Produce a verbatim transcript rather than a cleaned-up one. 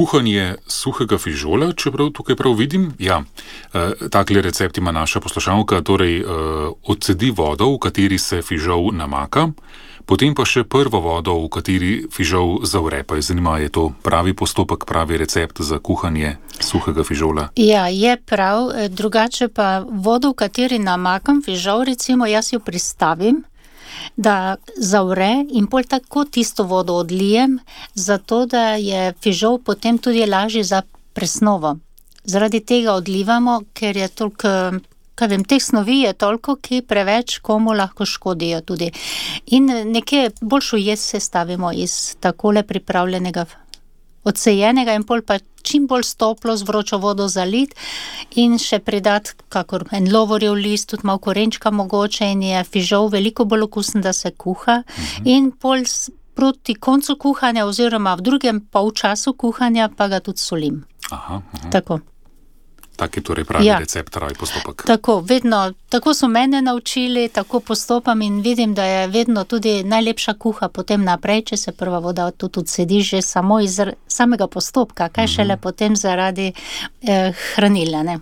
kuhanje suhega fižola, čeprav tukaj prav vidim. Ja, takle recept ima naša poslušalka, torej odcedi vodo, v kateri se fižol namaka, potem pa še prvo vodo, v kateri fižol zavre. Pa je zanima, je to pravi postopek, pravi recept za kuhanje suhega fižola? Ja, je prav. Drugače pa vodo, v kateri namakam fižol, recimo jaz jo pristavim, da zavre in pol tako tisto vodo odlijem, zato da je fižol potem tudi lažji za presnovo. Zaradi tega odlivamo, ker je toliko, kaj vem, teh snovi je toliko, ki preveč komu lahko škodijo tudi. In nekje boljšo jed se stavimo iz takole pripravljenega odsejenega in pol pa čim bolj stoplo z vročo vodo zalit in še pridat kakor en lovorjev list, tudi malo korenčka mogoče in je fižol veliko bolj okusen, da se kuha. Mhm. In pol proti koncu kuhanja oziroma v drugem polčasu kuhanja pa ga tudi solim. Aha, aha. Tako. Tak je torej pravi ja. recept, pravi postopek. Tako, vedno, tako so mene naučili, tako postopam in vidim, da je vedno tudi najlepša kuha potem naprej, če se prva voda tudi odsedi že samo iz samega postopka, kaj šele mm-hmm. potem zaradi eh, hranila, ne?